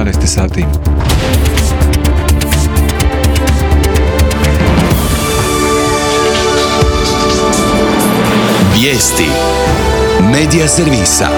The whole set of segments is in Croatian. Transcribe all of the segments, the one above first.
11 sati. Vijesti Medija servisa.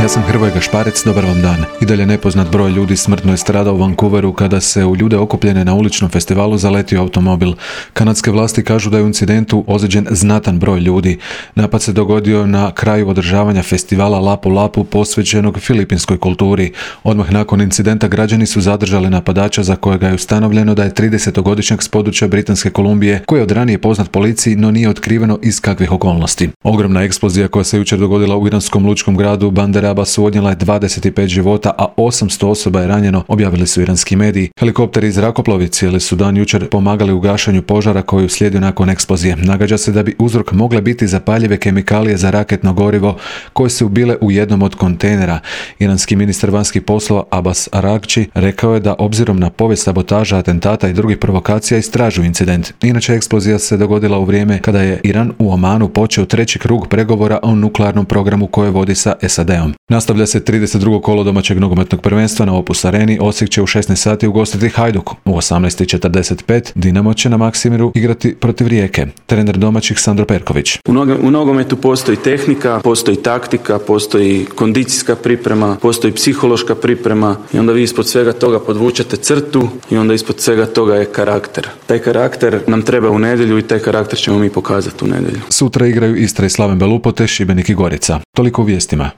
Ja sam Hrvoje Gašparec, dobar vam dan. I dalje nepoznat broj ljudi smrtno je stradao u Vancouveru kada se u ljude okupljene na uličnom festivalu zaletio automobil. Kanadske vlasti kažu da je u incidentu ozlijeđen znatan broj ljudi. Napad se dogodio na kraju održavanja festivala Lapu Lapu posvećenog filipinskoj kulturi. Odmah nakon incidenta građani su zadržali napadača za kojega je ustanovljeno da je 30-godišnjak s područja Britanske Kolumbije koji je od ranije poznat policiji, no nije otkriveno iz kakvih okolnosti. Ogromna eksplozija koja se jučer dogodila u iranskom lučkom gradu Bandar Abbasu odnijela je 25 života, a 800 osoba je ranjeno, objavili su iranski mediji. Helikopteri i zrakoplovi cijeli su dan jučer pomagali u gašenju požara koji je uslijedio nakon eksplozije. Nagađa se da bi uzrok mogle biti zapaljive kemikalije za raketno gorivo koje su bile u jednom od kontejnera. Iranski ministar vanjskih poslova Abbas Araghchi rekao je da obzirom na povijest sabotaža, atentata i drugih provokacija istražuju incident. Inače, eksplozija se dogodila u vrijeme kada je Iran u Omanu počeo treći krug pregovora o nuklearnom programu koje vodi sa SAD-om. Nastavlja se 32. kolo domaćeg nogometnog prvenstva na Opus Areni. Osijek će u 16 sati ugostiti Hajduk. U 18:45 Dinamo će na Maksimiru igrati protiv Rijeke. Trener domaćih Sandro Perković. U nogometu postoji tehnika, postoji taktika, postoji kondicijska priprema, postoji psihološka priprema i onda vi ispod svega toga podvučete crtu i onda ispod svega toga je karakter. Taj karakter nam treba u nedjelju i taj karakter ćemo mi pokazati u nedjelju. Sutra igraju Istra i Slaven Belupo te Šibenik i Gorica. Toliko u vijestima.